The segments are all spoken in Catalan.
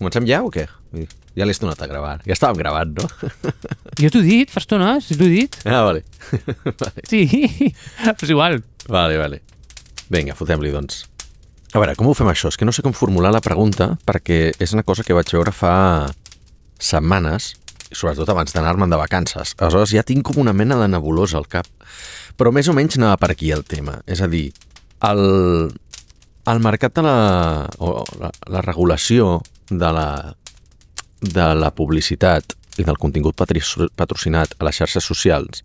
Comencem ja o què? Ja l'he estonat a gravar. Ja estàvem gravant, no? Jo t'ho he dit, fa estona, si t'ho he dit. Ah, vale. Vale. Sí, però és igual. Vale. Vinga, fotem-li, doncs. A veure, com ho fem això? És que no sé com formular la pregunta perquè és una cosa que vaig veure fa setmanes, sobretot abans d'anar-me'n de vacances. Aleshores ja tinc com una mena de nebulosa al cap. Però més o menys anava per aquí el tema. És a dir, el mercat de la regulació de la publicitat i del contingut patrocinat a les xarxes socials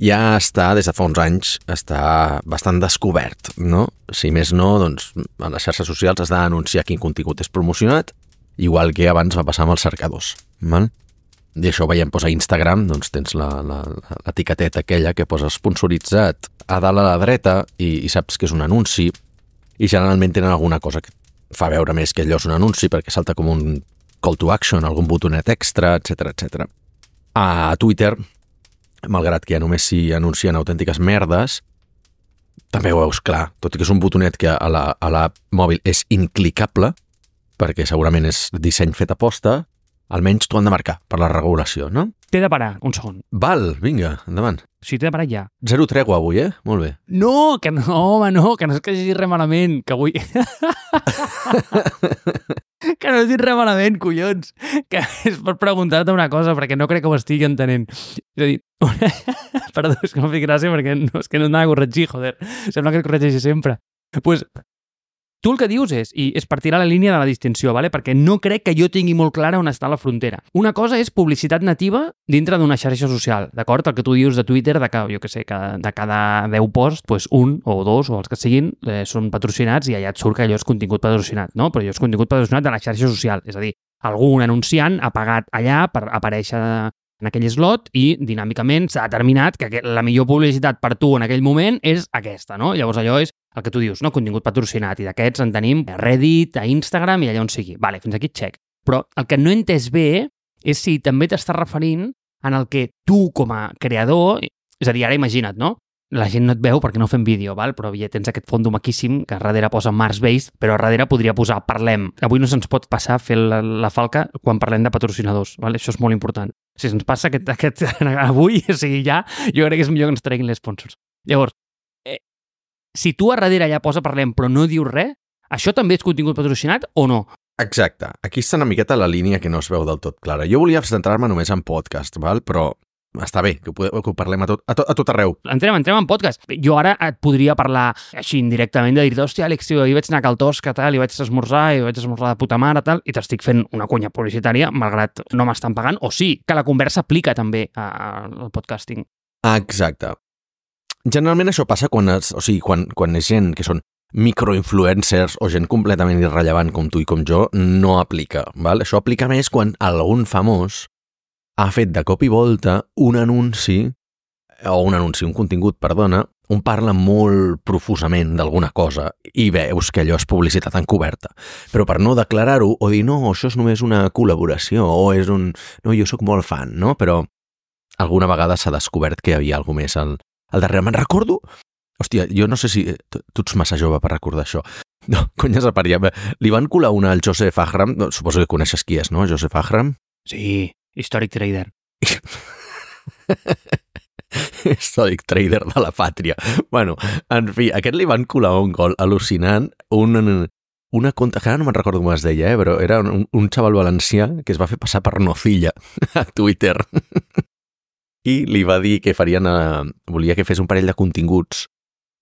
ja està, des de fa uns anys, està bastant descobert, no? Si més no, doncs, a les xarxes socials has d'anunciar quin contingut és promocionat, igual que abans va passar amb els cercadors, val? I això ho veiem, doncs, a Instagram, doncs tens l'etiqueteta aquella que posa sponsoritzat a dalt a la dreta i saps que és un anunci i generalment tenen alguna cosa que fa veure més que allò és un anunci perquè salta com un call to action, algun botonet extra, etc. A Twitter, malgrat que ja només s'hi anuncien autèntiques merdes, també ho veus clar, tot i que és un botonet que a la mòbil és inclicable, perquè segurament és disseny fet a posta, almenys t'ho han de marcar per la regulació, no? T'he de parar, un segon. Val, vinga, endavant. Sí, t'he de parar ja. 0 tregua avui, Molt bé. No, que no, home, no, que no és que hagi dit res malament, que avui... que no has dit res malament, collons. Que és per preguntar-te una cosa, perquè no crec que ho estigui entenent. És a dir, perdó, és que m'ha fet gràcia perquè no, és que no anava a corregir, joder. Sembla que et corregeixi sempre. Pues, tu el que dius és per tirar la línia de la distinció, ¿vale? Perquè no crec que jo tingui molt clara on està la frontera. Una cosa és publicitat nativa dintre d'una xarxa social, d'acord? El que tu dius de Twitter, de que, jo què sé, que de cada 10 posts, pues un o dos o els que siguin són patrocinats i allà et surt que allò és contingut patrocinat, no? Però allò és contingut patrocinat de la xarxa social, és a dir, algun anunciant ha pagat allà per aparèixer en aquell slot i dinàmicament s'ha determinat que la millor publicitat per tu en aquell moment és aquesta, no? Llavors allò és el que tu dius, no? Contingut patrocinat, i d'aquests en tenim a Reddit, a Instagram i allà on sigui. Vale, fins aquí check. Però el que no he entès bé és si també t'estàs referint en el que tu com a creador, és a dir, ara imagina't, no? La gent no et veu perquè no fem vídeo, val? Però ja tens aquest fondo maquíssim que a darrere posa Mars-based, però a darrere podria posar parlem. Avui no se'ns pot passar a fer la falca quan parlem de patrocinadors, val? Això és molt important. Si se'ns passa aquest avui, o sigui, ja, jo crec que és millor que ens treguin les sponsors. Llavors, si tu a darrere allà posa parlem però no dius res, això també és contingut patrocinat o no? Exacte. Aquí està una miqueta la línia que no es veu del tot clara. Jo volia centrar-me només en podcast, val? Però està bé, que ho parlem a tot arreu. Entrem en podcast. Jo ara et podria parlar així indirectament de dir, hòstia, Àlex, tio, ahir vaig anar a Cal Tosca, tal, i vaig esmorzar de puta mare, tal, i t'estic fent una cunya publicitària, malgrat no m'estan pagant, o sí, que la conversa aplica també al podcasting. Exacte. Generalment això passa quan és gent que són microinfluencers o gent completament irrellevant com tu i com jo, no aplica, val? Això aplica més quan algun famós ha fet de cop i volta un contingut, on parla molt profusament d'alguna cosa i veus que allò és publicitat encoberta. Però per no declarar-ho o dir, no, això és només una col·laboració o és no, jo sóc molt fan, no? Però alguna vegada s'ha descobert que hi havia alguna més al darrere. Me'n recordo? Hòstia, jo no sé si tu ets massa jove per recordar això. No, cony, és a parir. Li van colar una al Joseph Ahram, suposo que coneixes qui és, no? Joseph Ahram? Sí, històric trader. Històric trader de la pàtria. Bueno, en fi, aquest li van colar un gol al·lucinant, una conta, que ara no me'n recordo com es deia, però era un xaval valencià que es va fer passar per Nocilla a Twitter. I li va dir que volia que fes un parell de continguts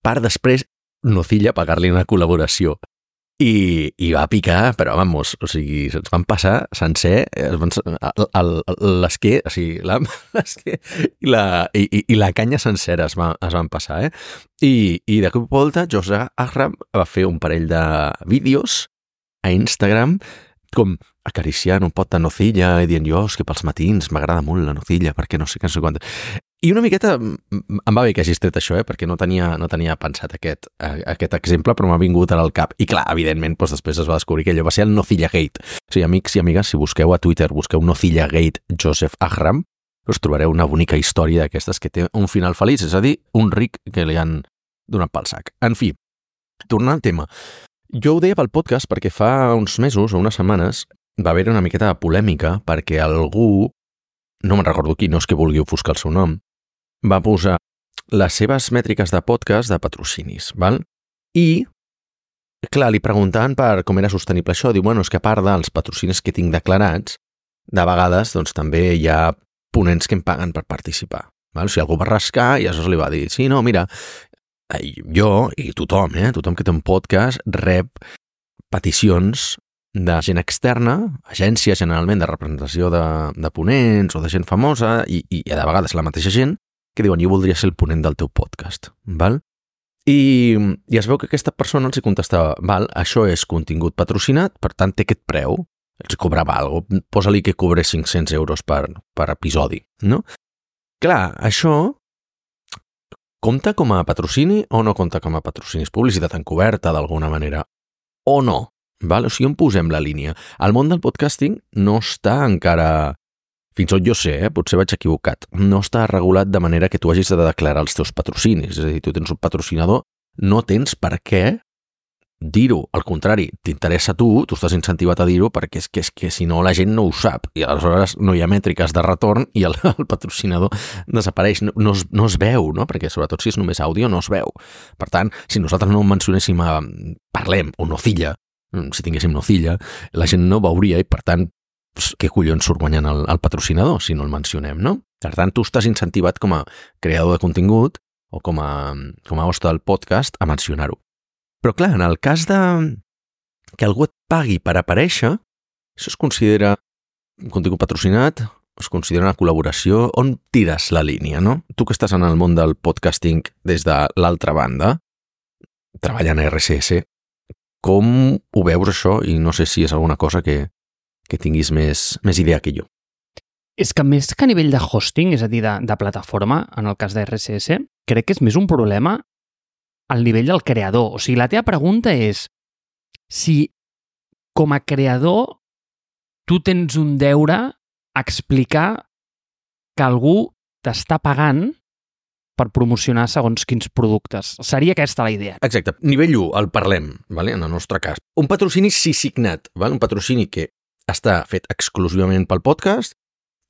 per després Nocilla pagar-li una col·laboració. I va picar, però vamos, o sigui, se'ns van passar sencer l'esquer, o sigui, l'esquer i la canya sencera es van passar, I de cop i volta, Joseph Ahram va fer un parell de vídeos a Instagram com acariciant un pot de nocilla i dient jo, és que pels matins m'agrada molt la nocilla, perquè no sé què, no sé quantes. I una miqueta em va bé que hagis tret això, perquè no tenia pensat aquest exemple, però m'ha vingut ara al cap. I clar, evidentment, doncs després es va descobrir que allò va ser el Nocilla Gate. O sigui, amics i amigues, si busqueu a Twitter, busqueu Nocilla Gate Joseph Ahram, us trobareu una bonica història d'aquestes que té un final feliç, és a dir, un ric que li han donat pel sac. En fi, tornant al tema, jo ho deia pel podcast perquè fa uns mesos o unes setmanes va haver una miqueta de polèmica perquè algú, no me'n recordo qui, no és que vulgui ofuscar el seu nom, va posar les seves mètriques de podcast de patrocinis, val? I, clar, li preguntaven per com era sostenible això. Diu, bueno, és que a part dels patrocinis que tinc declarats, de vegades doncs, també hi ha ponents que em paguen per participar. Val? O sigui, algú va rascar i aleshores li va dir, sí, no, mira, jo i tothom, tothom que té un podcast rep peticions de gent externa, agències generalment de representació de ponents o de gent famosa i de vegades la mateixa gent que diuen jo voldria ser el ponent del teu podcast, val? I es veu que aquesta persona els hi contestava, val, això és contingut patrocinat, per tant té aquest preu, els cobrava alguna cosa, posa-li que cobre 500 euros per episodi, no? Clar, això compta com a patrocini o no compta com a patrocini? És publicitat encoberta d'alguna manera o no? Val? O sigui, on posem la línia? El món del podcasting no està encara, fins on jo sé, potser vaig equivocat, no està regulat de manera que tu hagis de declarar els teus patrocinis. És a dir, tu tens un patrocinador, no tens per què dir-ho. Al contrari, t'interessa a tu estàs incentivat a dir-ho perquè és que si no la gent no ho sap i aleshores no hi ha mètriques de retorn i el patrocinador desapareix. No es veu, no? Perquè sobretot si és només àudio no es veu. Per tant, si nosaltres no mencionéssim a Parlem o Nocilla, si tinguéssim Nocilla, la gent no veuria i per tant què collons surt guanyant el patrocinador si no el mencionem, no? Per tant, tu estàs incentivat com a creador de contingut o com a host del podcast a mencionar-ho. Però clar, en el cas de que algú et pagui per aparèixer, això es considera un contingut patrocinat, es considera una col·laboració, on tires la línia, no? Tu que estàs en el món del podcasting des de l'altra banda, treballant a RSS, com ho veus això? I no sé si és alguna cosa que tinguis més idea que jo. És que més que a nivell de hosting, és a dir, de plataforma, en el cas de RSS, crec que és més un problema al nivell del creador. O sigui, la teva pregunta és si com a creador tu tens un deure a explicar que algú t'està pagant per promocionar segons quins productes. Seria aquesta la idea. Exacte. Nivell 1, el parlem, vale? En el nostre cas. Un patrocini sí signat, vale? Un patrocini que està fet exclusivament pel podcast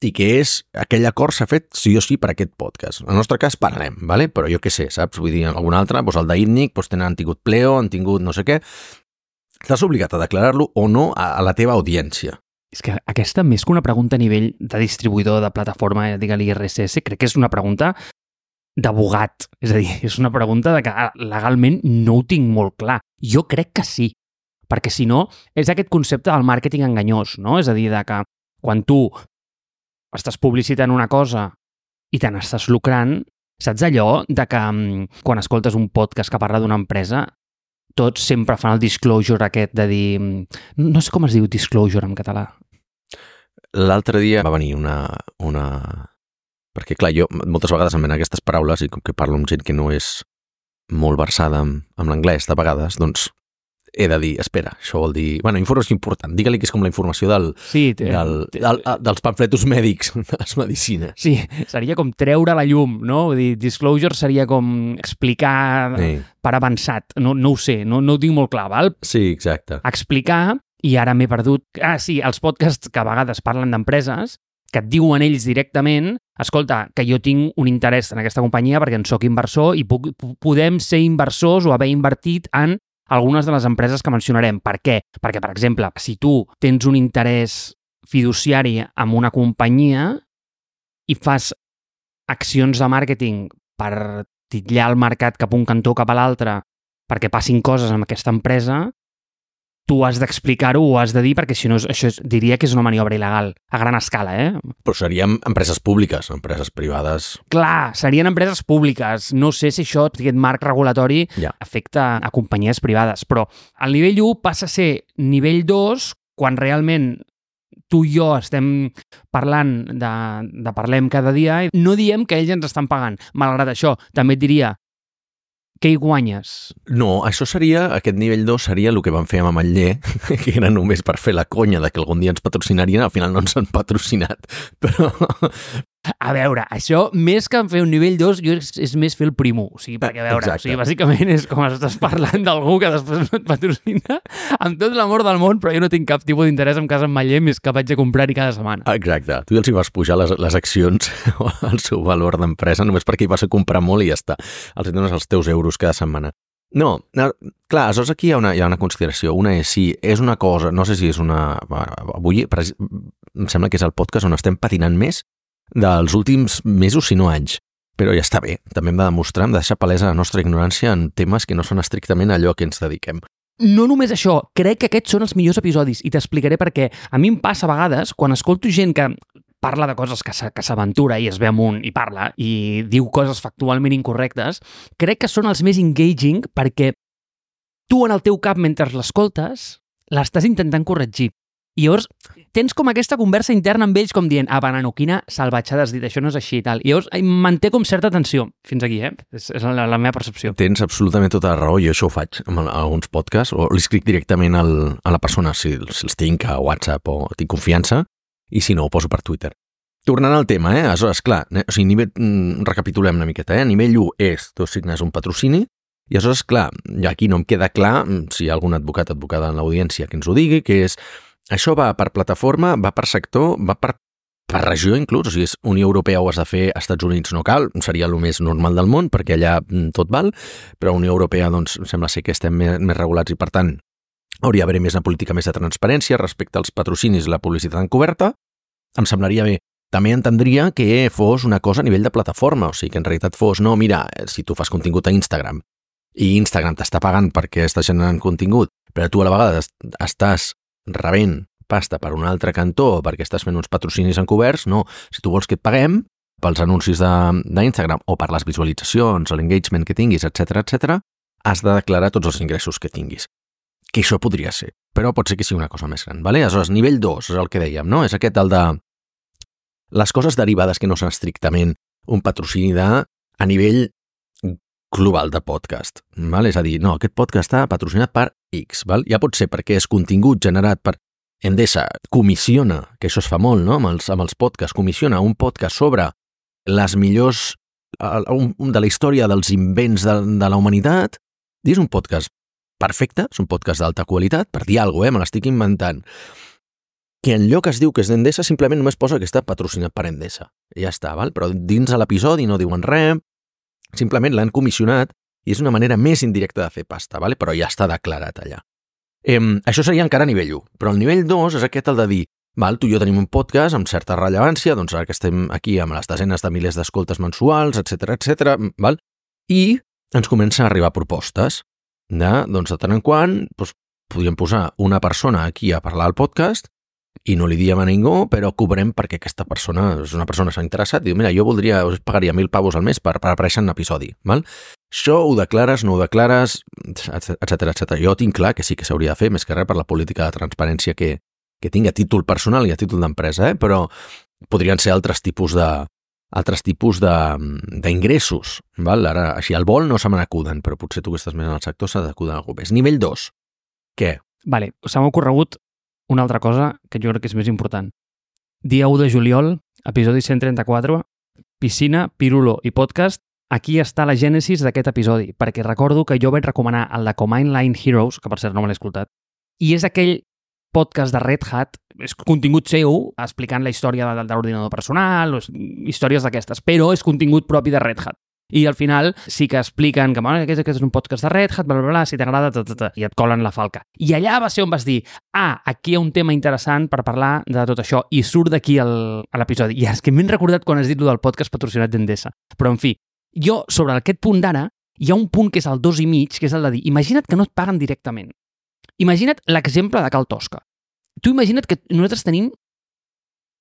i que aquell acord s'ha fet sí o sí per aquest podcast. En el nostre cas parlem, vale? Però jo què sé, saps? Vull dir, algun altre, doncs el d'ITNIC, doncs han tingut Pleo, han tingut no sé què. Estàs obligat a declarar-lo o no a la teva audiència. És que aquesta, més que una pregunta a nivell de distribuïdor de plataforma, digue-li RSS, crec que és una pregunta d'abogat. És a dir, és una pregunta de que legalment no ho tinc molt clar. Jo crec que sí, perquè si no, és aquest concepte del màrqueting enganyós, no? És a dir, de que quan tu estàs publicitant una cosa i te n'estàs lucrant, saps allò de que quan escoltes un podcast que parla d'una empresa, tots sempre fan el disclosure aquest de dir... No sé com es diu disclosure en català. L'altre dia va venir una... Perquè, clar, jo moltes vegades em venen aquestes paraules i com que parlo amb gent que no és molt versada amb l'anglès, de vegades, doncs he de dir, espera, això vol dir... Bueno, informació important. Digue-li que és com la informació dels pamfletos mèdics de les medicines. Sí, seria com treure la llum, no? Vull dir, disclosure seria com explicar per avançat. No ho sé, no ho dic molt clar, val? Sí, exacte. Explicar, i ara m'he perdut... sí, els podcasts que a vegades parlen d'empreses, que et diuen ells directament, escolta, que jo tinc un interès en aquesta companyia perquè en soc inversor i podem ser inversors o haver invertit en algunes de les empreses que mencionarem. Per què? Perquè, per exemple, si tu tens un interès fiduciari amb una companyia i fas accions de màrqueting per titllar el mercat cap a un cantó o cap a l'altre perquè passin coses amb aquesta empresa, tu has d'explicar-ho o has de dir, perquè si no, això diria que és una maniobra il·legal, a gran escala, Però serien empreses públiques, empreses privades... Clar, serien empreses públiques. No sé si això, aquest marc regulatori, afecta a companyies privades, però el nivell 1 passa a ser nivell 2 quan realment tu i jo estem parlant de Parlem cada dia i no diem que ells ens estan pagant. Malgrat això, també et diria què hi guanyes? No, això seria, aquest nivell 2 seria el que van fer amb Ametller, que era només per fer la conya de que algun dia ens patrocinarien, al final no ens han patrocinat, A veure, això, més que fer un nivell 2, és més fer el primo. O sigui, perquè, a veure, Exacte. o sigui, bàsicament és com estàs parlant d'algú que després no et patrocina amb tot l'amor del món, però jo no tinc cap tipus d'interès en casa en Maller més que vaig a comprar-hi cada setmana. Exacte. Tu ja els hi vas pujar les accions al seu valor d'empresa només perquè hi vas a comprar molt i ja està. Els dones els teus euros cada setmana. No, clar, aleshores aquí hi ha una consideració. Una és si és una cosa, no sé si és una... Avui em sembla que és el podcast on estem patinant més dels últims mesos, si no anys. Però ja està bé. També hem de demostrar, hem de deixar palesa la nostra ignorància en temes que no són estrictament allò que ens dediquem. No només això, crec que aquests són els millors episodis i t'explicaré per què. A mi em passa a vegades, quan escolto gent que parla de coses que s'aventura i es ve amunt i parla i diu coses factualment incorrectes, crec que són els més engaging perquè tu en el teu cap, mentre l'escoltes, l'estàs intentant corregir. I llavors tens com aquesta conversa interna amb ells com dient, banano, quina salvatjada has dit, això no és així i tal. I llavors manté com certa tensió. Fins aquí, És la meva percepció. Tens absolutament tota la raó, jo això ho faig amb alguns podcasts, o li escric directament a la persona, si els tinc a WhatsApp o tinc confiança, i si no, ho poso per Twitter. Tornant al tema, aleshores, clar, o sigui, recapitulem una miqueta, a nivell 1 és, tu signes un patrocini, i aleshores, clar, aquí no em queda clar, si hi ha algun advocada en l'audiència que ens ho digui, que és, això va per plataforma, va per sector, va per regió inclús, o sigui, és Unió Europea ho has de fer, als Estats Units no cal, seria el més normal del món, perquè allà tot val, però Unió Europea, doncs, sembla ser que estem més regulats i, per tant, hauria d'haver més una política més de transparència respecte als patrocinis i la publicitat encoberta. Em semblaria bé. També entendria que fos una cosa a nivell de plataforma, o sigui, que en realitat fos, no, mira, si tu fas contingut a Instagram i Instagram t'està pagant perquè estàs generant contingut, però tu a la vegada estàs rebent pasta per un altre cantó perquè estàs fent uns patrocinis encoberts, no. Si tu vols que et paguem pels anuncis d'Instagram o per les visualitzacions, l'engagement que tinguis, etc, has de declarar tots els ingressos que tinguis. Que això podria ser, però pot ser que sigui una cosa més gran, ¿vale? Aleshores, nivell 2 és el que dèiem, no? És aquest el de les coses derivades que no són estrictament un patrocini a nivell global de podcast, val? És a dir, no, aquest podcast està patrocinat per X, val? Ja pot ser perquè és contingut generat per Endesa, comissiona, que això es fa molt, no? Amb els podcasts, comissiona un podcast sobre les millors de la història dels invents de la humanitat, i és un podcast perfecte, és un podcast d'alta qualitat, per dir alguna cosa, me l'estic inventant, que en lloc es diu que és d'Endesa, simplement només posa que està patrocinat per Endesa. I ja està, val? Però dins de l'episodi no diuen res, simplement l'han comissionat i és una manera més indirecta de fer pasta, ¿vale? Però ja està declarat allà. Això seria encara a nivell 1, però el nivell 2 és aquest el de dir, val, tu i jo tenim un podcast amb certa rellevància, doncs ara que estem aquí amb les desenes de milers d'escoltes mensuals, etc, val? I ens comencen a arribar propostes doncs de tant en quant doncs, podríem posar una persona aquí a parlar al podcast i no li diem a ningú, però cobrem perquè aquesta persona és una persona que s'ha interessat i diu, mira, jo us pagaria 1.000 pavos al mes per aparèixer en un episodi, val? Això ho declares, no ho declares, etc. Jo tinc clar que sí que s'hauria de fer, més que res per la política de transparència que tingui a títol personal i a títol d'empresa, però podrien ser altres tipus d'ingressos, val? Ara, així al vol no se me n'acuden, però potser tu que estàs més en el sector s'ha d'acudar algú més. Nivell 2, què? Vale, se m'ha ocorregut una altra cosa que jo crec que és més important. Dia 1 de juliol, episodi 134, piscina, pirulo i podcast. Aquí està la gènesis d'aquest episodi, perquè recordo que jo vaig recomanar el de Command Line Heroes, que per cert no me l'he escoltat, i és aquell podcast de Red Hat, és contingut seu, explicant la història de l'ordinador personal, històries d'aquestes, però és contingut propi de Red Hat. I al final sí que expliquen que aquest és un podcast de Red Hat, bla, si t'agrada, i et colen la falca. I allà va ser on vas dir, aquí hi ha un tema interessant per parlar de tot això, i surt d'aquí a l'episodi. I és que m'he recordat quan has dit del podcast patrocinat d'Endesa. Però, en fi, jo, sobre aquest punt d'ara, hi ha un punt que és el 2,5, que és el de dir, imagina't que no et paguen directament. Imagina't l'exemple de Cal Tosca. Tu imagina't que nosaltres tenim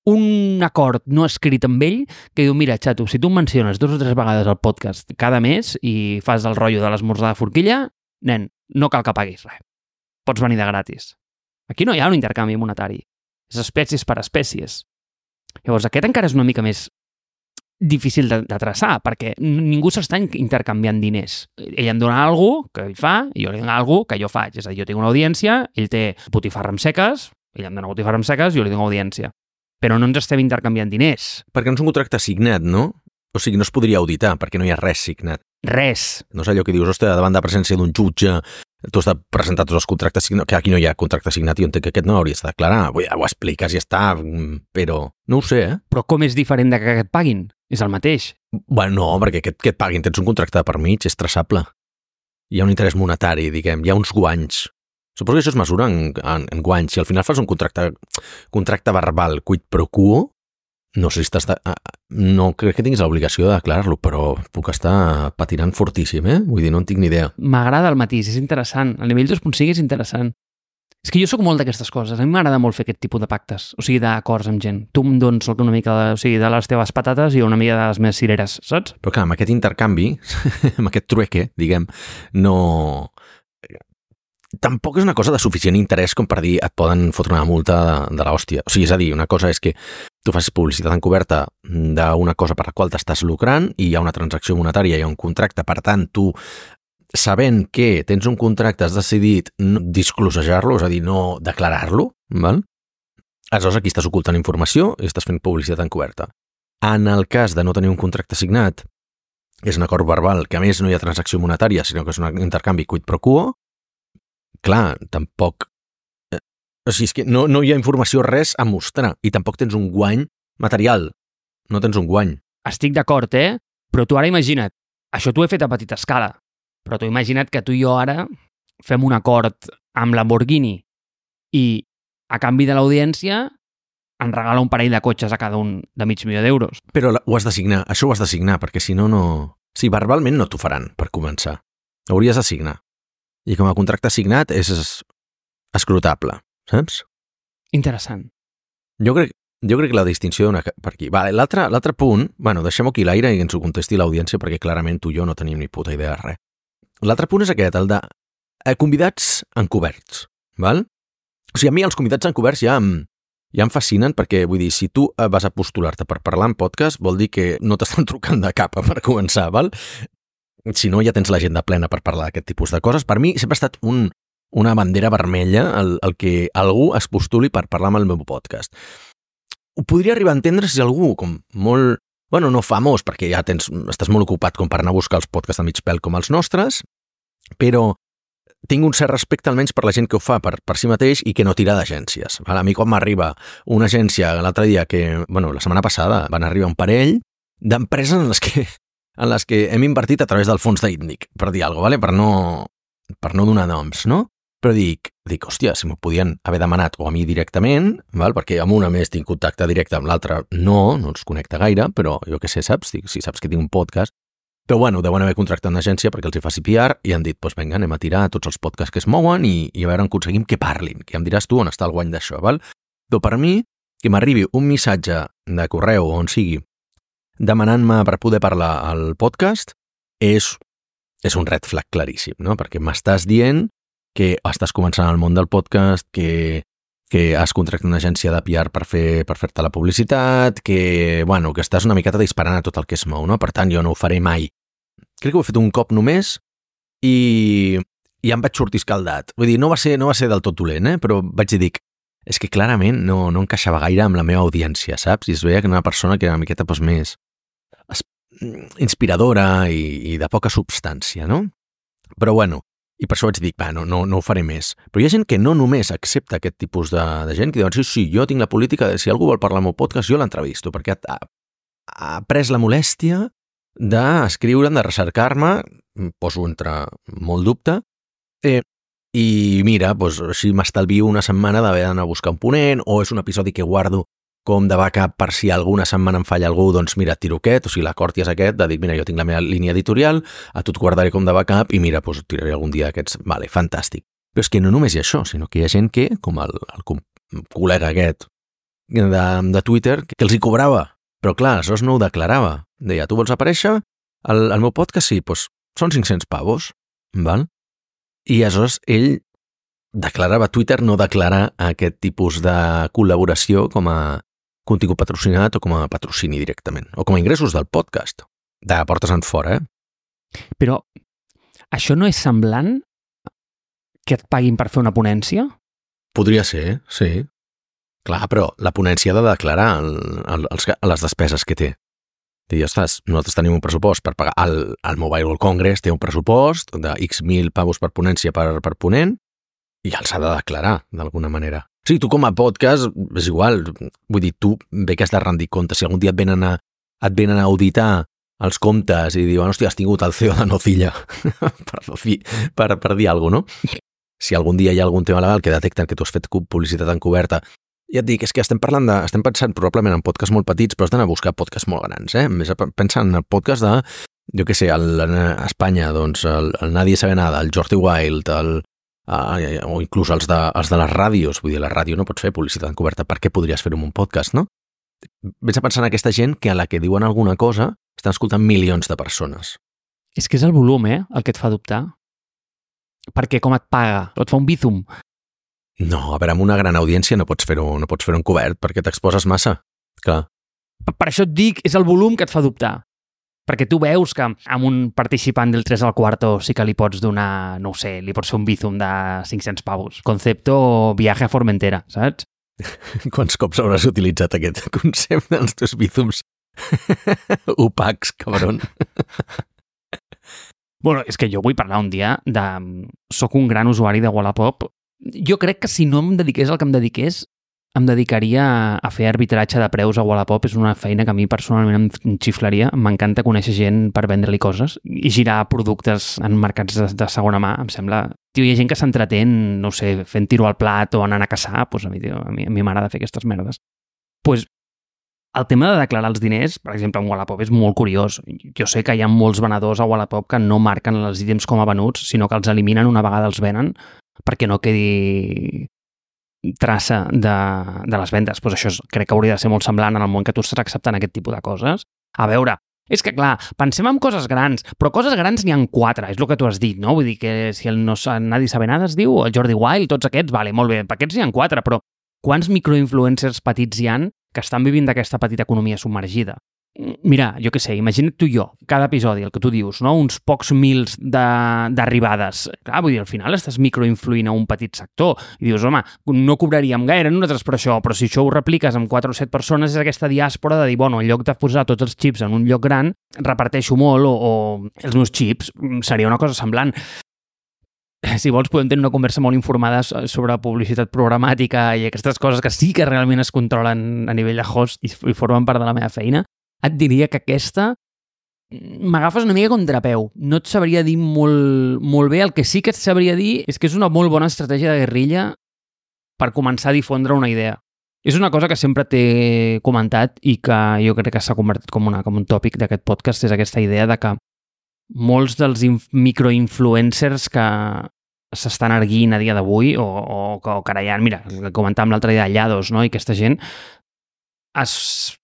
un acord no escrit amb ell que diu, mira, xato, si tu em menciones 2 o 3 vegades al podcast cada mes i fas el rotllo de l'esmorzar de forquilla, nen, no cal que paguis res. Pots venir de gratis. Aquí no hi ha un intercanvi monetari. És espècies per espècies. Llavors, aquest encara és una mica més difícil de traçar, perquè ningú s'està intercanviant diners. Ell em dona alguna cosa que ell fa i jo li dono alguna cosa que jo faig. És a dir, jo tinc una audiència, ell té botifarra amb seques, ell em dona botifarra amb seques, jo li dono audiència. però no ens estem intercanviant diners. Perquè no és un contracte signat, no? O sigui, no es podria auditar, perquè no hi ha res signat. Res. No és allò que dius, ostres, davant de presència d'un jutge, tu has de presentar tots els contractes signats, que aquí no hi ha contracte signat i jo entenc que aquest no hauries de declarar. Ja ho expliques i ja està, però no ho sé, Però com és diferent de que et paguin? És el mateix. Bueno, no, perquè que et paguin, tens un contracte per mig, és traçable. Hi ha un interès monetari, diguem, hi ha uns guanys. Suposo que això es mesura en guanys. Si al final fas un contracte verbal quid pro quo, no sé si no crec que tinguis l'obligació de declarar-lo, però puc estar patinant fortíssim, Vull dir, no en tinc ni idea. M'agrada el matís, és interessant. El nivell 2.5 és interessant. És que jo sóc molt d'aquestes coses. A mi m'agrada molt fer aquest tipus de pactes, o sigui, d'acords amb gent. Tu em dones una mica de les teves patates i una mica de les meves cireres, saps? Però clar, amb aquest intercanvi, amb aquest trueque, diguem, no... Tampoc és una cosa de suficient interès com per dir et poden fotre una multa de l'hòstia. O sigui, és a dir, una cosa és que tu facis publicitat encoberta d'una cosa per la qual t'estàs lucrant i hi ha una transacció monetària, hi ha un contracte, per tant, tu, sabent que tens un contracte, has decidit disclosejar-lo, és a dir, no declarar-lo, val? Aleshores aquí estàs ocultant informació i estàs fent publicitat encoberta. En el cas de no tenir un contracte signat, és un acord verbal, que a més no hi ha transacció monetària, sinó que és un intercanvi quid pro quo, clar, tampoc... O sigui, és que no hi ha informació, res a mostrar, i tampoc tens un guany material. No tens un guany. Estic d'acord, Però tu ara imagina't, això t'ho he fet a petita escala, però tu imagina't que tu i jo ara fem un acord amb Lamborghini i a canvi de l'audiència en regala un parell de cotxes a cada un de $500,000. Però ho has de signar, això ho has de signar, perquè si no, no... Sí, verbalment no t'ho faran, per començar. Hauries de signar. I com a contracte signat és escrutable, saps? Interessant. Jo crec que la distinció per aquí... Vale, l'altre punt, bueno, deixem-ho aquí l'aire i ens ho contesti l'audiència perquè clarament tu i jo no tenim ni puta idea de res. L'altre punt és aquest, el de convidats encoberts, val? O sigui, a mi els convidats encoberts ja em fascinen perquè, vull dir, si tu vas a postular-te per parlar en podcast vol dir que no t'estan trucant de capa per començar, val? Si no, ja tens l'agenda plena per parlar d'aquest tipus de coses. Per mi sempre ha estat una bandera vermella el que algú es postuli per parlar amb el meu podcast. Ho podria arribar a entendre si algú com molt... Bueno, no famós, perquè ja estàs molt ocupat com per anar a buscar els podcasts de mig pèl com els nostres, però tinc un cert respecte almenys per la gent que ho fa per si mateix i que no tira d'agències. A mi quan m'arriba una agència l'altre dia la setmana passada van arribar un parell d'empreses en les que hem invertit a través del fons d'ITNIC, per dir alguna cosa, per no donar noms, no? Però dic, hòstia, si m'ho podien haver demanat o a mi directament, perquè amb una més tinc contacte directe, amb l'altra no els connecta gaire, però jo què sé, saps? Si saps que tinc un podcast, però bueno, deuen haver contractat una agència perquè els hi faci PR i han dit, doncs vinga, anem a tirar tots els podcasts que es mouen i a veure on aconseguim que parlin, que em diràs tu on està el guany d'això, val? Però per mi, que m'arribi un missatge de correu o on sigui demanant-me per poder parlar al podcast és un red flag claríssim, no? Perquè m'estàs dient que estàs començant al món del podcast, que has contractat una agència de PR per fer-te la publicitat, que estàs una miqueta disparant a tot el que es mou, no? Per tant, jo no ho faré mai. Crec que ho he fet un cop només i em vaig sortir escaldat. Vull dir, no va ser del tot dolent, però vaig dir, és que clarament no encaixava gaire amb la meva audiència, saps? I es veia que era una persona que era una miqueta més inspiradora i de poca substància, no? Però bueno, i per això vaig dir, no ho faré més. Però hi ha gent que no només accepta aquest tipus de gent, que diuen, sí, jo tinc la política de si algú vol parlar al meu podcast, jo l'entrevisto, perquè ha pres la molèstia d'escriure'm, de recercar-me, poso entre molt dubte, i mira, així m'estalvio una setmana d'haver d'anar a buscar un ponent, o és un episodi que guardo com de backup per si alguna setmana em falla algú, doncs mira, tiro aquest, o sigui, l'acord ja és aquest, de dir, mira, jo tinc la meva línia editorial, a tu et guardaré com de backup i mira, tiraré algun dia aquests, vale, fantàstic. Però és que no només hi ha això, sinó que hi ha gent que, com el col·lega aquest de Twitter, que els hi cobrava, però clar, aleshores no ho declarava. Deia, tu vols aparèixer al meu podcast? Sí, doncs són 500 pavos, val? I aleshores ell declarava, Twitter no declara aquest tipus de col·laboració com a contingut patrocinat o com a patrocini directament, o com a ingressos del podcast, de portes en fora, Però això no és semblant que et paguin per fer una ponència? Podria ser, sí. Clar, però la ponència ha de declarar les despeses que té. Dir, ostres, nosaltres tenim un pressupost per pagar el Mobile World Congress, té un pressupost de X mil pavos per ponència per ponent, i els ha de declarar, d'alguna manera. O sigui, tu com a podcast, és igual, vull dir, tu bé que has de rendir compte. Si algun dia et venen a auditar els comptes i diuen, hòstia, has tingut el CEO de Nocilla per dir alguna cosa, no? Si algun dia hi ha algun tema legal que detecten que tu has fet publicitat encoberta, ja et dic, és que estem pensant probablement en podcasts molt petits, però has d'anar a buscar podcasts molt grans, Més pensa en el podcast de, jo què sé, a Espanya, doncs, el Nadie sabe nada, el Jordi Wild, o inclús els de les ràdios. Vull dir, la ràdio no pots fer publicitat encoberta. Per què podries fer-ho en un podcast, no? Vés a pensar en aquesta gent que a la que diuen alguna cosa estan escoltant milions de persones. És que és el volum, el que et fa dubtar. Perquè com et paga? O et fa un Bizum? No, a veure, amb una gran audiència no pots fer-ho encobert perquè t'exposes massa. Clar. Per això et dic, és el volum que et fa dubtar. Perquè tu veus que amb un participant del 3 al cuarto sí que li pots donar, no ho sé, li pots fer un Bizum de 500 pavos. Concepto viaje a Formentera, saps? Quants cops hauràs utilitzat aquest concepte dels teus Bizums opacs, cabron? Bueno, és que jo vull parlar un dia de... Soc un gran usuari de Wallapop. Jo crec que si no em dediqués al que em dediqués, em dedicaria a fer arbitratge de preus a Wallapop. És una feina que a mi personalment em xiflaria. M'encanta conèixer gent per vendre-li coses i girar productes en mercats de segona mà. Em sembla... Tio, hi ha gent que s'entretén, no sé, fent tiro al plat o anant a caçar. Pues a mi m'agrada fer aquestes merdes. Pues el tema de declarar els diners, per exemple, en Wallapop és molt curiós. Jo sé que hi ha molts venedors a Wallapop que no marquen els ítems com a venuts, sinó que els eliminen una vegada els venen perquè no quedi traça de les vendes. Pues això crec que hauria de ser molt semblant en el món que tu estàs acceptant aquest tipus de coses. A veure, és que clar, pensem en coses grans, però coses grans n'hi ha 4, és el que tu has dit, no? Vull dir que si el Nadie sabe nada es diu, el Jordi Wild, tots aquests, vale, molt bé, per aquests n'hi ha 4, però quants microinfluencers petits hi han que estan vivint d'aquesta petita economia submergida? Mira, jo què sé, imagina't tu i jo, cada episodi, el que tu dius, no? Uns pocs mils d'arribades. Clar, vull dir, al final estàs microinfluint a un petit sector i dius, home, no cobraríem gaire nosaltres per això, però si això ho repliques amb 4 o 7 persones és aquesta diàspora de dir, bueno, en lloc de posar tots els xips en un lloc gran, reparteixo molt o els meus xips, seria una cosa semblant. Si vols podem tenir una conversa molt informada sobre publicitat programàtica i aquestes coses que sí que realment es controlen a nivell de host i formen part de la meva feina. Et diria que aquesta m'agafes una mica contrapeu. No et sabria dir molt bé. El que sí que et sabria dir és que és una molt bona estratègia de guerrilla per començar a difondre una idea. És una cosa que sempre t'he comentat i que jo crec que s'ha convertit com un tòpic d'aquest podcast, és aquesta idea de que molts dels microinfluencers que s'estan erguint a dia d'avui o carallant, mira, el que comentàvem l'altre dia de Llados, no? I aquesta gent es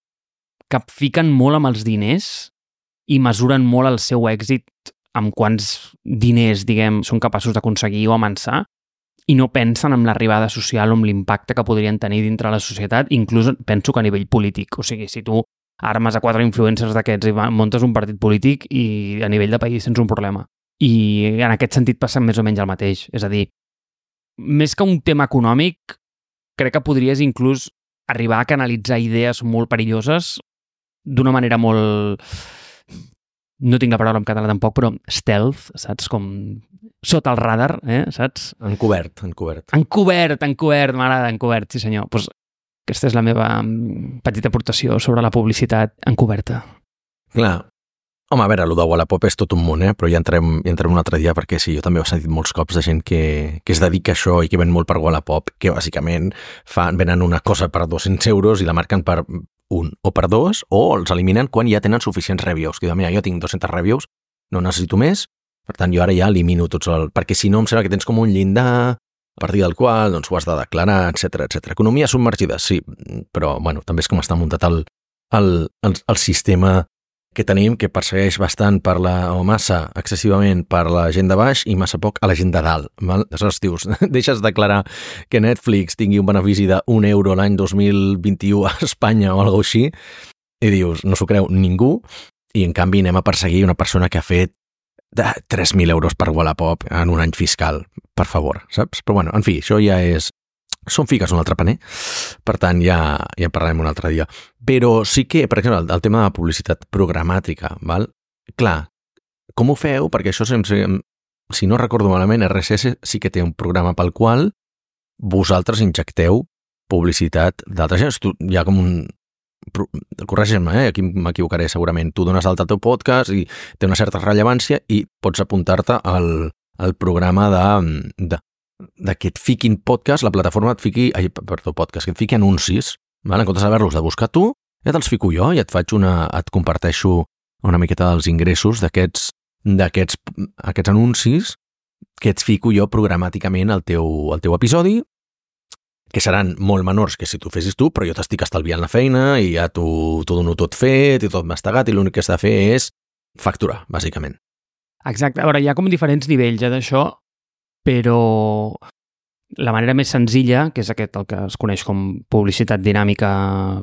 capfiquen molt amb els diners i mesuren molt el seu èxit amb quants diners, diguem, són capaços d'aconseguir o amansar i no pensen en l'arribada social o en l'impacte que podrien tenir dintre la societat, inclús penso que a nivell polític. O sigui, si tu armes a 4 influencers d'aquests i muntes un partit polític i a nivell de país tens un problema. I en aquest sentit passa més o menys el mateix. És a dir, més que un tema econòmic, crec que podries inclús arribar a canalitzar idees molt perilloses d'una manera molt... No tinc la paraula en català tampoc, però stealth, saps? Com sota el radar, saps? Encobert. Encobert, m'agrada, encobert, sí senyor. Pues aquesta és la meva petita aportació sobre la publicitat encoberta. Clar. Home, a veure, el de Wallapop és tot un món, però ja entrem un altre dia, perquè sí, jo també ho he sentit molts cops de gent que es dedica a això i que ven molt per Wallapop, que bàsicament venen una cosa per 200 euros i la marquen per 1 o per 2, o els eliminen quan ja tenen suficients reviews. Que diuen, mira, jo tinc 200 reviews, no necessito més, per tant jo ara ja elimino tots perquè si no em sembla que tens com un llindar a partir del qual doncs, ho has de declarar, etc. Economia submergida, sí, però bueno, també és com està muntat el sistema que tenim, que persegueix bastant o massa excessivament per la gent de baix i massa poc a la gent de dalt. Val? Aleshores dius, deixes declarar que Netflix tingui un benefici d'1 euro l'any 2021 a Espanya o alguna cosa així, i dius, no s'ho creu ningú, i en canvi anem a perseguir una persona que ha fet 3.000 euros per Wallapop en un any fiscal, per favor, saps? Però bueno, en fi, això ja és són fiques un altre paner, per tant ja en parlarem un altre dia. Però sí que, per exemple, el tema de la publicitat programàtica, val? Clar, com ho feu? Perquè això, si no recordo malament, RSS sí que té un programa pel qual vosaltres injecteu publicitat d'altra gent. Hi ha com un... Corregeix-me, aquí m'equivocaré segurament. Tu dones alta al teu podcast i té una certa rellevància i pots apuntar-te al programa de que et fiquin podcast, la plataforma et fiqui... podcast, que et fiqui anuncis, val? En comptes d'haver-los de buscar tu, ja te'ls fico jo i et comparteixo una miqueta dels ingressos d'aquests anuncis que et fico jo programàticament al teu episodi, que seran molt menors que si tu fessis tu, però jo t'estic estalviant la feina i ja t'ho dono tot fet i tot mastegat i l'únic que has de fer és facturar, bàsicament. Exacte. A veure, hi ha com diferents nivells d'això, però la manera més senzilla, que és aquest el que es coneix com publicitat dinàmica,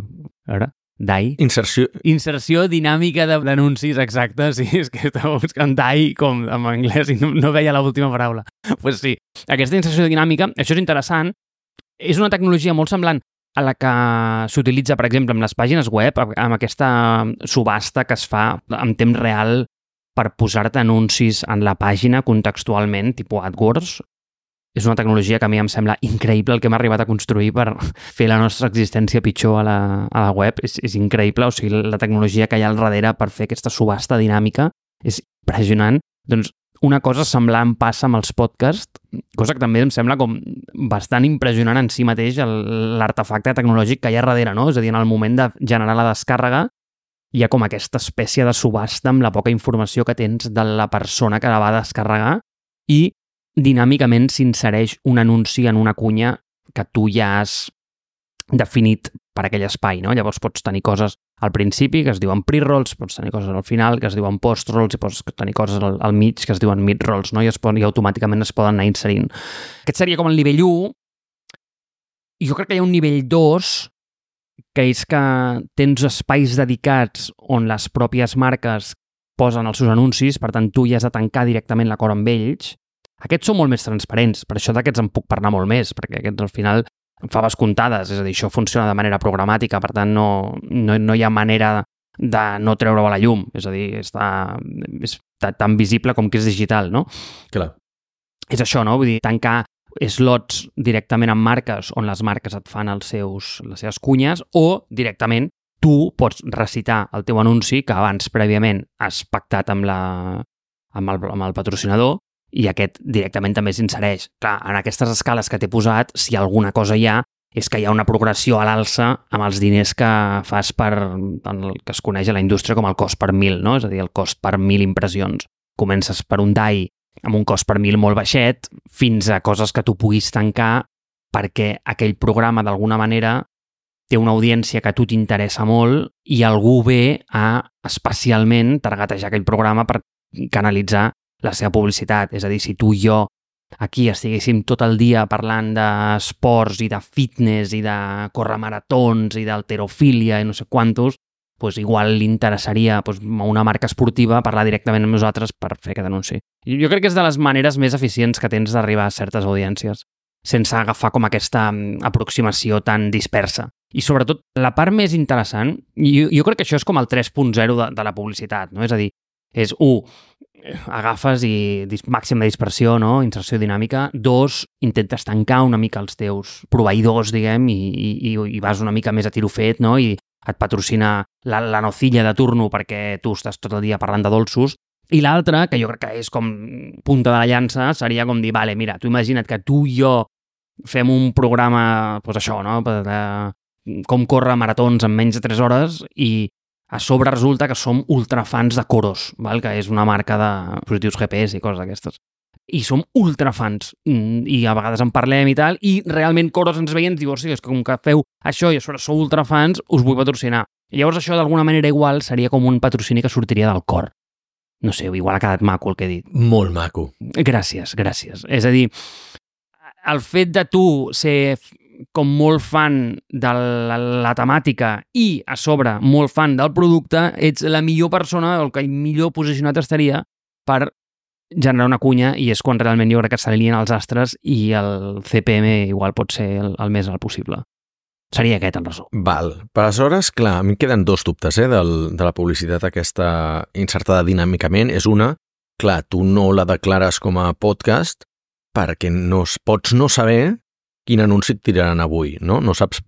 DAI. Inserció dinàmica d'anuncis, exacte. Sí, és que estava buscant DAI com en anglès i no veia l'última paraula. Pues sí, aquesta inserció dinàmica, això és interessant. És una tecnologia molt semblant a la que s'utilitza, per exemple, amb les pàgines web, amb aquesta subhasta que es fa en temps real per posar-te anuncis en la pàgina contextualment, tipus AdWords. És una tecnologia que a mi em sembla increïble el que hem arribat a construir per fer la nostra existència pitjor a la web. És increïble, o sigui, la tecnologia que hi ha al darrere per fer aquesta subhasta dinàmica és impressionant. Doncs una cosa semblant passa amb els podcasts, cosa que també em sembla com bastant impressionant en si mateix l'artefacte tecnològic que hi ha darrere, no? És a dir, en el moment de generar la descàrrega hi ha com aquesta espècie de subhasta amb la poca informació que tens de la persona que la va descarregar i dinàmicament s'insereix un anunci en una cunya que tu ja has definit per aquell espai, no? Llavors pots tenir coses al principi que es diuen pre-rolls, pots tenir coses al final que es diuen post-rolls i pots tenir coses al mig que es diuen mid-rolls, no? I automàticament es poden anar inserint. Aquest seria com el nivell 1. I jo crec que hi ha un nivell 2 que és que tens espais dedicats on les pròpies marques posen els seus anuncis, per tant tu ja has de tancar directament l'acord amb ells. Aquests són molt més transparents, per això d'aquests en puc parlar molt més, perquè aquests al final faves comptades, és a dir, això funciona de manera programàtica, per tant no hi ha manera de no treure-ho a la llum, és a dir, està tan visible com que és digital, no? Clar. És això, no? Vull dir, tancar slots directament amb marques on les marques et fan les seves cunyes o directament tu pots recitar el teu anunci que abans prèviament has pactat amb el patrocinador i aquest directament també s'insereix. Clar, en aquestes escales que t'he posat, si alguna cosa hi ha, és que hi ha una progressió a l'alça amb els diners que fas el que es coneix a la indústria com el cost per 1.000, no? És a dir, el cost per 1.000 impressions. Comences per un DAI amb un cost per 1.000 molt baixet fins a coses que tu puguis tancar perquè aquell programa d'alguna manera té una audiència que a tu t'interessa molt i algú ve a especialment targetejar aquell programa per canalitzar la seva publicitat. És a dir, si tu i jo aquí estiguéssim tot el dia parlant d'esports i de fitness i de córrer maratons i d'halterofília i no sé quantos, doncs igual li interessaria a una marca esportiva parlar directament amb nosaltres per fer aquest anunci. Jo crec que és de les maneres més eficients que tens d'arribar a certes audiències, sense agafar com aquesta aproximació tan dispersa. I sobretot, la part més interessant, jo crec que això és com el 3.0 de la publicitat, no? És a dir, és 1, agafes i màxima dispersió, no? Inserció dinàmica. 2, intentes tancar una mica els teus proveïdors, diguem, i vas una mica més a tiro fet, no? I et patrocina la nocilla de turno perquè tu estàs tot el dia parlant de dolços. I l'altra, que jo crec que és com punta de la llança, seria com dir, vale, mira, tu imagina't que tu i jo fem un programa, doncs això, no? Com córrer maratons en menys de 3 hores i a sobre resulta que som ultrafans de Coros, val? Que és una marca de dispositius GPS i coses d'aquestes. I som ultrafans i a vegades en parlem i tal, i realment Coros ens veien i diu, és que com que feu això i a sobre sou ultrafans, us vull patrocinar. I llavors això d'alguna manera igual seria com un patrocini que sortiria del cor. No sé, igual ha quedat maco el que he dit. Molt maco. Gràcies. És a dir, el fet de tu ser com molt fan de la temàtica i a sobre molt fan del producte, ets la millor persona o el que millor posicionat estaria per generar una cunya i és quan realment jo crec que s'alineen els astres i el CPM igual pot ser el més alt possible. Seria aquest, en resum. Val. Per aleshores, clar, a mi em queden dos dubtes de la publicitat aquesta insertada dinàmicament. És una, clar, tu no la declares com a podcast perquè pots no saber quin anunci et tiraran avui, no? No saps,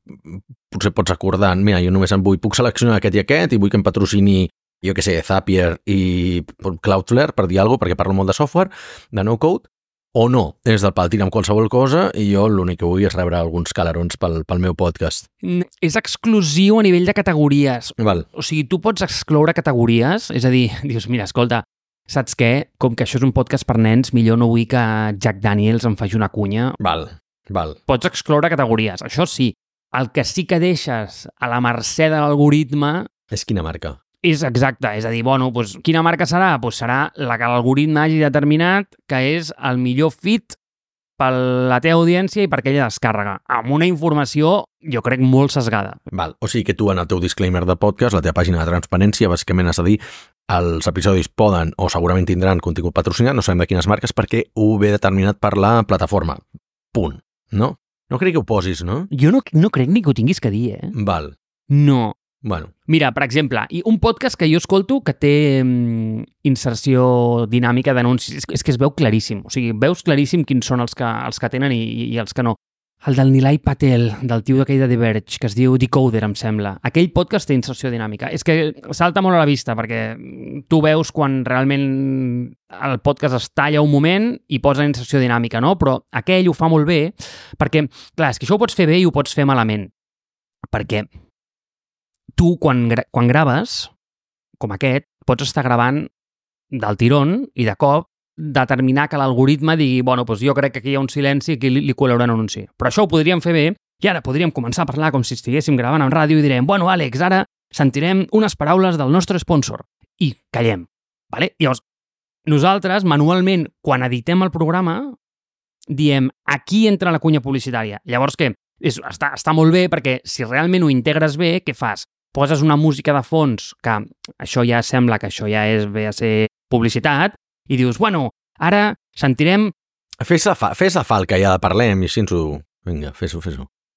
potser pots acordar, mira, jo només puc seleccionar aquest i aquest i vull que em patrocini, jo què sé, Zapier i Cloudflare, per dir alguna cosa, perquè parlo molt de software, de no-code, o no, és del pal, tira amb qualsevol cosa i jo l'únic que vull és rebre alguns calarons pel meu podcast. És exclusiu a nivell de categories. Val. O sigui, tu pots excloure categories, és a dir, dius, mira, escolta, saps què? Com que això és un podcast per nens, millor no vull que Jack Daniels em faci una cunya. Val. Pots excloure categories, això sí. El que sí que deixes a la mercè de l'algoritme... És quina marca? És exacte, és a dir, bueno, doncs, quina marca serà? Doncs serà la que l'algoritme hagi determinat que és el millor fit per la teva audiència i per aquella descàrrega, amb una informació, jo crec, molt sesgada. Val, o sigui que tu en el teu disclaimer de podcast, la teva pàgina de transparència, bàsicament has de dir els episodis poden o segurament tindran contingut patrocinat, no sabem de quines marques, perquè ho ve determinat per la plataforma. Punt. No? No crec que ho posis, no? Jo no crec ni que ho tinguis que dir, Val. No. Bueno. Mira, per exemple, un podcast que jo escolto que té inserció dinàmica d'anuncis, és que es veu claríssim. O sigui, veus claríssim quins són els que tenen i els que no. El del Nilay Patel, del tio d'aquell de The Verge, que es diu Decoder, em sembla. Aquell podcast té inserció dinàmica. És que salta molt a la vista, perquè tu veus quan realment el podcast es talla un moment i posa inserció dinàmica, no? Però aquell ho fa molt bé, perquè, clar, és que això ho pots fer bé i ho pots fer malament. Perquè tu, quan graves, com aquest, pots estar gravant del tirón i de cop determinar que l'algoritme digui, bueno, doncs jo crec que aquí hi ha un silenci i aquí li col·laurà un anunci. Però això ho podríem fer bé i ara podríem començar a parlar com si estiguéssim gravant en ràdio i direm, bueno, Àlex, ara sentirem unes paraules del nostre sponsor. I callem. Vale? Llavors, nosaltres, manualment, quan editem el programa, diem, aquí entra la cunya publicitària. Llavors, què? Està molt bé perquè si realment ho integres bé, què fas? Poses una música de fons, que això ja sembla que això ja ve a ser publicitat, i dius, bueno, ara sentirem... Fes la falca ja de parlem i així ens ho... Vinga, fes-ho.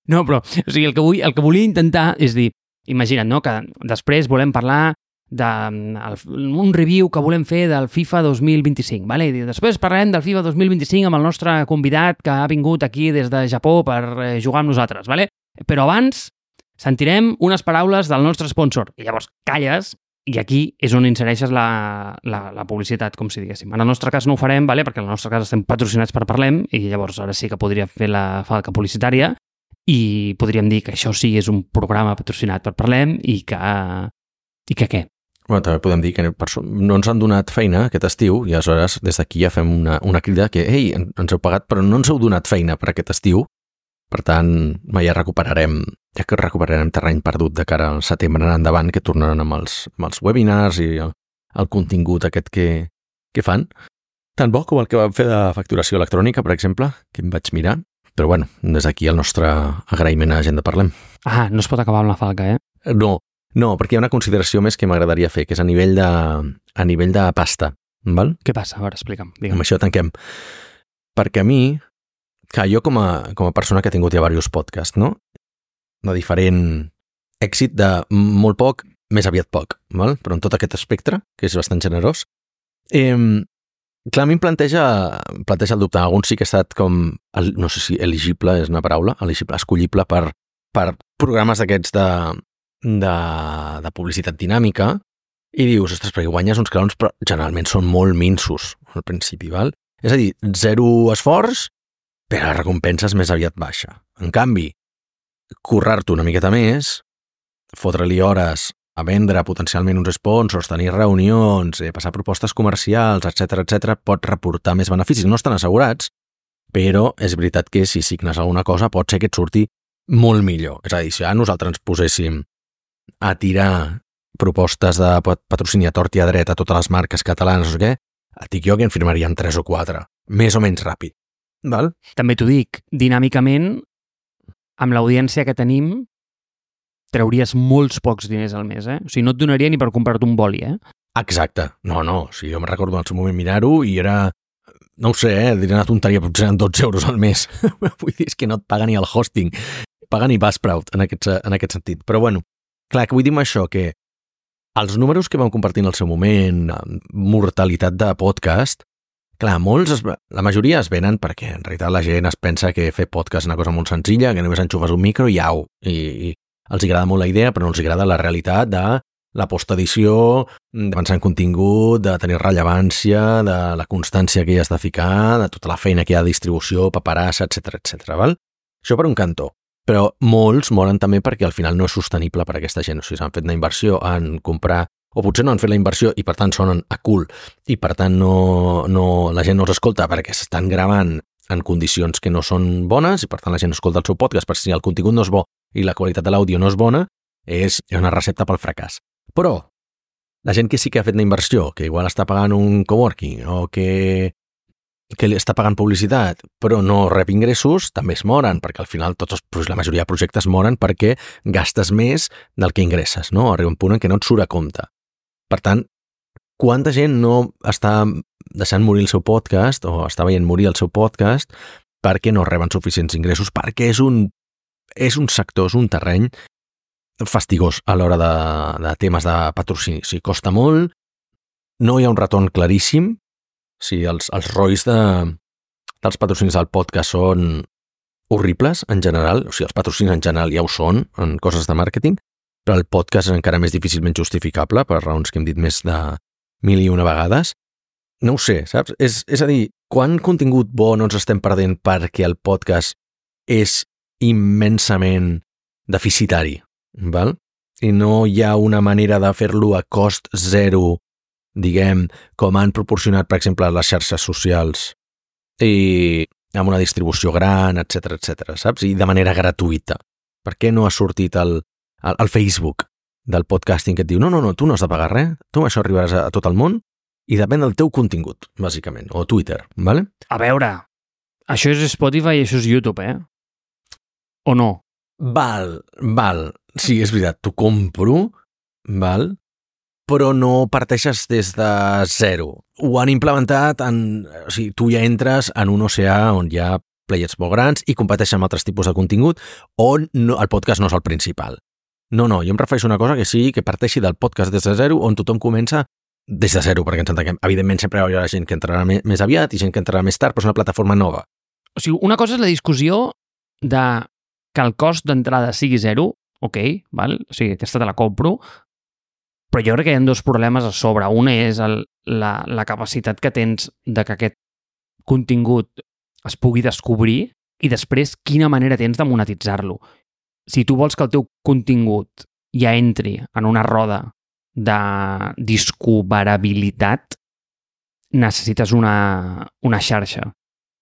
No, però, o sigui, el que volia intentar és dir, imagina't, no?, que després volem parlar d'un review que volem fer del FIFA 2025, vale? I després parlarem del FIFA 2025 amb el nostre convidat que ha vingut aquí des de Japó per jugar amb nosaltres, vale? Però abans sentirem unes paraules del nostre sponsor. I llavors calles i aquí és on insereixes la publicitat, com si diguéssim. En el nostre cas no ho farem, vale? Perquè en el nostre cas estem patrocinats per Parlem i llavors ara sí que podria fer la falca publicitària i podríem dir que això sí és un programa patrocinat per Parlem i que què? Bueno, també podem dir que no ens han donat feina aquest estiu i aleshores des d'aquí ja fem una crida que, ei, ens heu pagat però no ens heu donat feina per aquest estiu. Per tant, ja recuperarem terreny perdut de cara al setembre en endavant, que tornaran amb els webinars i el contingut aquest que fan. Tan bo com el que vam fer de facturació electrònica, per exemple, que em vaig mirar. Però bueno, des d'aquí el nostre agraïment a Gent de Parlem. Ah, no es pot acabar amb la falca, No, perquè hi ha una consideració més que m'agradaria fer, que és a nivell de pasta. Val? Què passa? A veure, explica'm. Amb això tanquem. Perquè a mi, que jo com a persona que ha tingut ja diversos podcasts, no? De diferent èxit, de molt poc, més aviat poc, val? Però en tot aquest espectre, que és bastant generós, clar, a mi em planteja el dubte. Alguns sí que ha estat com, no sé si elegible és una paraula, escollible per programes d'aquests de publicitat dinàmica i dius, ostres, perquè guanyes uns calons, però generalment són molt minsos al principi, val? És a dir, zero esforç, però la recompensa és més aviat baixa. En canvi, currar-t'ho una miqueta més, fotre-li hores a vendre potencialment uns sponsors, tenir reunions, passar propostes comercials, etc, pot reportar més beneficis. No estan assegurats, però és veritat que si signes alguna cosa pot ser que et surti molt millor. És a dir, si a nosaltres ens poséssim a tirar propostes de patrocini a tort i a dret a totes les marques catalanes o què, et dic jo que en firmaríem 3 o 4, més o menys ràpid. Val? També t'ho dic, dinàmicament, amb l'audiència que tenim, trauries molts pocs diners al mes, O sigui, no et donaria ni per comprar-te un boli, Exacte. No, o sigui, jo me'n recordo en el seu moment mirar-ho i era, no ho sé, diré una tonteria, potser eren 12 euros al mes. Vull dir, és que no et paga ni el hosting, paga ni Buzzsprout en aquest sentit. Però bueno, clar, que vull dir amb això, que els números que vam compartir en el seu moment, mortalitat de podcast, clar, la majoria es venen perquè en realitat la gent es pensa que fer podcast és una cosa molt senzilla, que només enxufes un micro i au, i els agrada molt la idea, però no els agrada la realitat de la postedició, de pensar en contingut, de tenir rellevància, de la constància que hi has de ficar, de tota la feina que hi ha de distribució, paperassa, etc. Val? Això per un cantó. Però molts moren també perquè al final no és sostenible per a aquesta gent. O sigui, s'han fet una inversió en comprar, o potser no han fet la inversió i per tant sonen a cul, i per tant la gent no els escolta perquè s'estan gravant en condicions que no són bones i per tant la gent escolta el seu podcast, perquè si el contingut no és bo i la qualitat de l'àudio no és bona, és una recepta pel fracàs. Però la gent que sí que ha fet una inversió, que igual està pagant un coworking o que li està pagant publicitat, però no rep ingressos, també es moren, perquè al final la majoria de projectes moren perquè gastes més del que ingresses, no? Arriba un punt en què no et surt a compte. Per tant, quanta gent no està deixant morir el seu podcast o està veient morir el seu podcast perquè no reben suficients ingressos, perquè és un sector, és un terreny fastigós a l'hora de temes de patrocini. O sigui, costa molt, no hi ha un retorn claríssim. O sigui, els ROIs dels patrocinis del podcast són horribles en general. O sigui, els patrocinis en general ja ho són en coses de màrqueting, però el podcast és encara més difícilment justificable per raons que hem dit més de 1001 vegades. No ho sé, saps? És a dir, quant contingut bo no ens estem perdent perquè el podcast és immensament deficitari, val? I no hi ha una manera de fer-lo a cost zero, diguem, com han proporcionat, per exemple, les xarxes socials i amb una distribució gran, etc, saps? I de manera gratuïta. Per què no ha sortit el Facebook del podcasting que et diu no, tu no has de pagar res, tu amb això arribaràs a tot el món i depèn del teu contingut, bàsicament, o Twitter, vale? A veure, això és Spotify i això és YouTube, o no? Val. Sí, és veritat, t'ho compro, val? Però no parteixes des de zero. Ho han implementat o sigui, tu ja entres en un oceà on hi ha players molt grans i competeixen amb altres tipus de contingut on el podcast no és el principal. No, jo em refereixo a una cosa que sí, que parteixi del podcast des de zero, on tothom comença des de zero, perquè ens entenguem. Evidentment, sempre hi haurà gent que entrarà més aviat i gent que entrarà més tard, però és una plataforma nova. O sigui, una cosa és la discussió de que el cost d'entrada sigui zero, ok, val? O sigui, aquesta te la compro, però jo crec que hi ha dos problemes a sobre. Una és la capacitat que tens de que aquest contingut es pugui descobrir i després quina manera tens de monetitzar-lo. Si tu vols que el teu contingut ja entri en una roda de discoverabilitat, necessites una xarxa.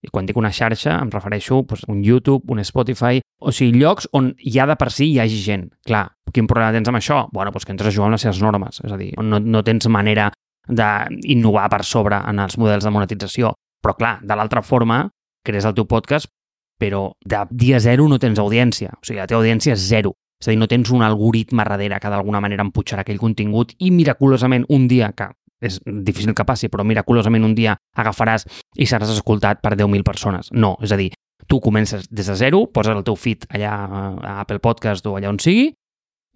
I quan dic una xarxa em refereixo a un YouTube, un Spotify, o sigui, llocs on ja de per si hi hagi gent. Clar, quin problema tens amb això? Bueno, doncs que entres a jugar amb les seves normes. És a dir, no tens manera d'innovar per sobre en els models de monetització. Però clar, de l'altra forma, crees el teu podcast, però de dia zero no tens audiència. O sigui, la teva audiència és zero. És a dir, no tens un algoritme darrere que d'alguna manera empujarà aquell contingut i miraculosament un dia, que és difícil que passi, però miraculosament un dia agafaràs i seràs escoltat per 10.000 persones. No, és a dir, tu comences des de zero, poses el teu feed allà a Apple Podcast o allà on sigui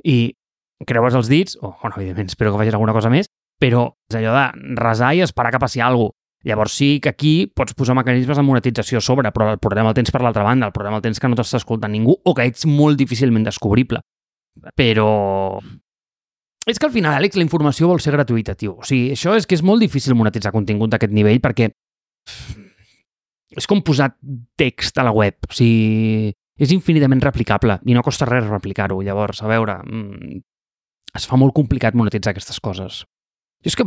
i creues els dits, evidentment espero que facis alguna cosa més, però és allò de resar i esperar que passi alguna cosa. Llavors sí que aquí pots posar mecanismes de monetització a sobre, però el problema el tens per l'altra banda, el problema el tens que no t'està escoltant ningú o que ets molt difícilment descobrible. Però és que al final, Àlex, la informació vol ser gratuïta, tio. O sigui, això és que és molt difícil monetitzar contingut d'aquest nivell perquè és com posar text a la web. O sigui, és infinitament replicable i no costa res replicar-ho. Llavors, a veure, es fa molt complicat monetitzar aquestes coses. Jo és que,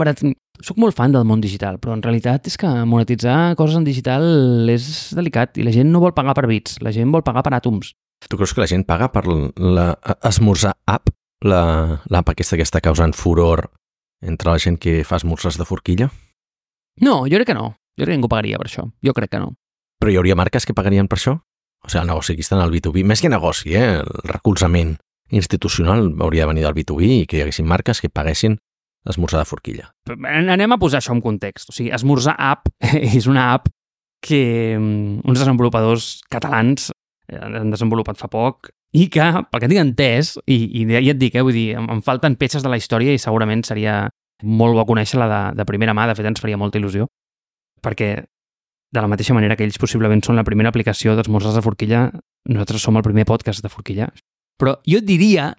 soc molt fan del món digital, però en realitat és que monetitzar coses en digital és delicat i la gent no vol pagar per bits, la gent vol pagar per àtoms. Tu creus que la gent paga per l'esmorzar app? L'app aquesta que està causant furor entre la gent que fa esmorzars de forquilla? No, jo crec que no. Jo crec que ningú pagaria per això. Jo crec que no. Però hi hauria marques que pagarien per això? O sigui, el negoci aquí està en el B2B. Més que negoci, el recolzament institucional hauria de venir del B2B i que hi haguessin marques que paguessin esmorzar de forquilla. Anem a posar això en context. O sigui, Esmorzar App és una app que uns desenvolupadors catalans han desenvolupat fa poc i que, pel que tinc entès, i ja et dic, vull dir, em falten peces de la història i segurament seria molt bo conèixer-la de primera mà, de fet ens faria molta il·lusió, perquè de la mateixa manera que ells possiblement són la primera aplicació d'esmorzars de forquilla, nosaltres som el primer podcast de forquilla. Però jo diria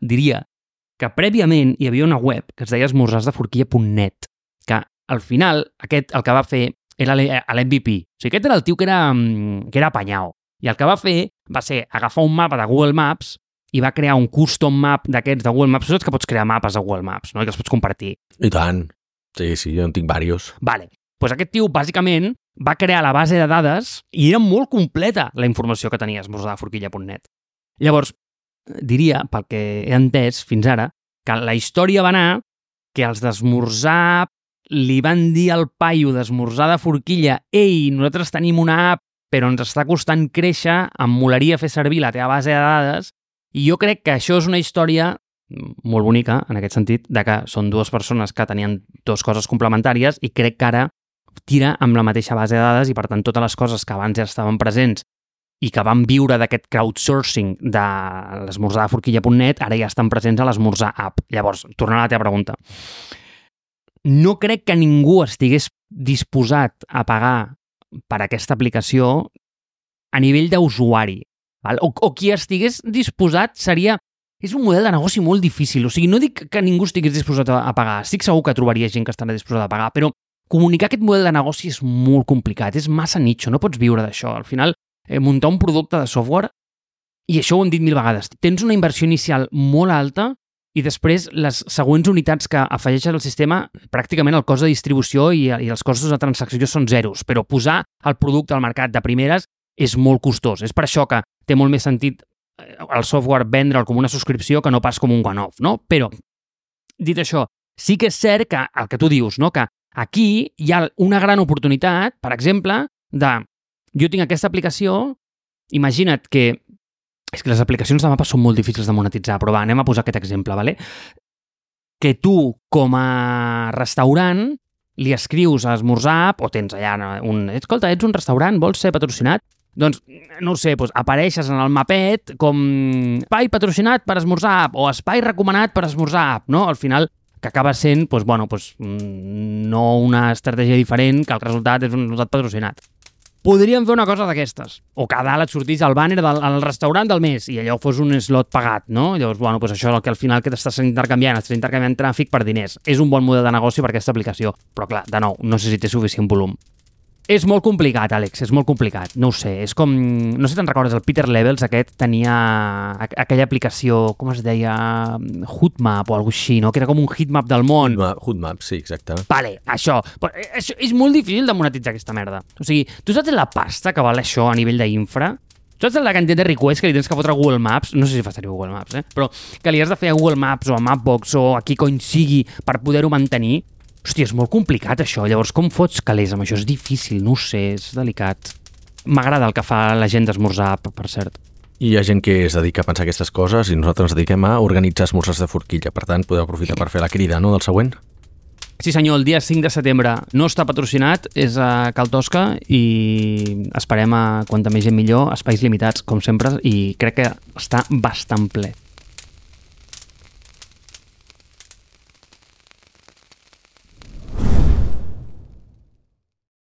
que prèviament hi havia una web que es deia esmorzarsdeforquilla.net, que al final aquest el que va fer era l'MVP. O sigui, aquest era el tio que era apanyao. I el que va fer va ser agafar un mapa de Google Maps i va crear un custom map d'aquests de Google Maps. Tu saps que pots crear mapes de Google Maps, no? I que els pots compartir. I tant. Sí, jo en tinc diversos. Vale. Doncs aquest tio, bàsicament, va crear la base de dades i era molt completa la informació que tenia esmorzardeforquilla.net. Llavors, diria, pel que he entès fins ara, que la història va anar que els d'esmorzar li van dir al paio d'esmorzar de forquilla «Ei, nosaltres tenim una app però ens està costant créixer, em molaria fer servir la teva base de dades», i jo crec que això és una història molt bonica, en aquest sentit, de que són dues persones que tenien dues coses complementàries i crec que ara tira amb la mateixa base de dades i, per tant, totes les coses que abans ja estaven presents i que van viure d'aquest crowdsourcing de l'esmorzardeforquilla.net ara ja estan presents a l'esmorzar app. Llavors, tornant a la teva pregunta, no crec que ningú estigués disposat a pagar per aquesta aplicació a nivell d'usuari. O qui estigués disposat seria... És un model de negoci molt difícil. O sigui, no dic que ningú estigués disposat a pagar. Estic segur que trobaria gent que estarà disposada a pagar, però comunicar aquest model de negoci és molt complicat. És massa nicho, no pots viure d'això. Al final, muntar un producte de software, i això ho hem dit 1000 vegades, tens una inversió inicial molt alta i després les següents unitats que afegeixes al sistema, pràcticament el cost de distribució i els costos de transacció són zeros, però posar el producte al mercat de primeres és molt costós. És per això que té molt més sentit el software vendre'l com una subscripció que no pas com un one-off, no? Però, dit això, sí que és cert que el que tu dius, no? Que aquí hi ha una gran oportunitat, per exemple, de jo tinc aquesta aplicació, imagina't que és que les aplicacions de mapes són molt difícils de monetitzar, però va, anem a posar aquest exemple, ¿vale? Que tu, com a restaurant, li escrius a Esmorzar, o tens allà escolta, ets un restaurant, vols ser patrocinat? Doncs, no ho sé, apareixes en el mapet com espai patrocinat per Esmorzar o espai recomanat per Esmorzar, no? Al final, que acaba sent, no una estratègia diferent, que el resultat és un resultat patrocinat. Podríem fer una cosa d'aquestes, o que a dalt et sortís el banner del restaurant del mes i allò fos un slot pagat, no? Llavors, això és el que al final que estàs intercanviant tràfic per diners. És un bon model de negoci per aquesta aplicació, però clar, de nou, no sé si té suficient volum. És molt complicat, Àlex, és molt complicat. No ho sé, és com... No sé si te'n recordes, el Peter Levels aquest tenia aquella aplicació, com es deia? Hootmap o alguna cosa així, no? Que era com un heatmap del món. Hootmap, sí, exacte. Vale, això és molt difícil de monetitzar aquesta merda. O sigui, tu saps la pasta que val això a nivell d'infra? Tu saps la quantitat de requests que li tens que fotre a Google Maps? No sé si fa servir Google Maps, però que li has de fer a Google Maps o a Mapbox o a qui cony sigui per poder-ho mantenir. Hòstia, és molt complicat això. Llavors, com fots calés amb això? És difícil, no ho sé, és delicat. M'agrada el que fa la gent d'Esmorzar, per cert. I hi ha gent que es dedica a pensar aquestes coses i nosaltres ens dediquem a organitzar esmorzars de forquilla. Per tant, podeu aprofitar per fer la crida, no?, del següent. Sí senyor, el dia 5 de setembre no està patrocinat, és a Cal Tosca i esperem a quanta més gent millor, espais limitats, com sempre, i crec que està bastant ple.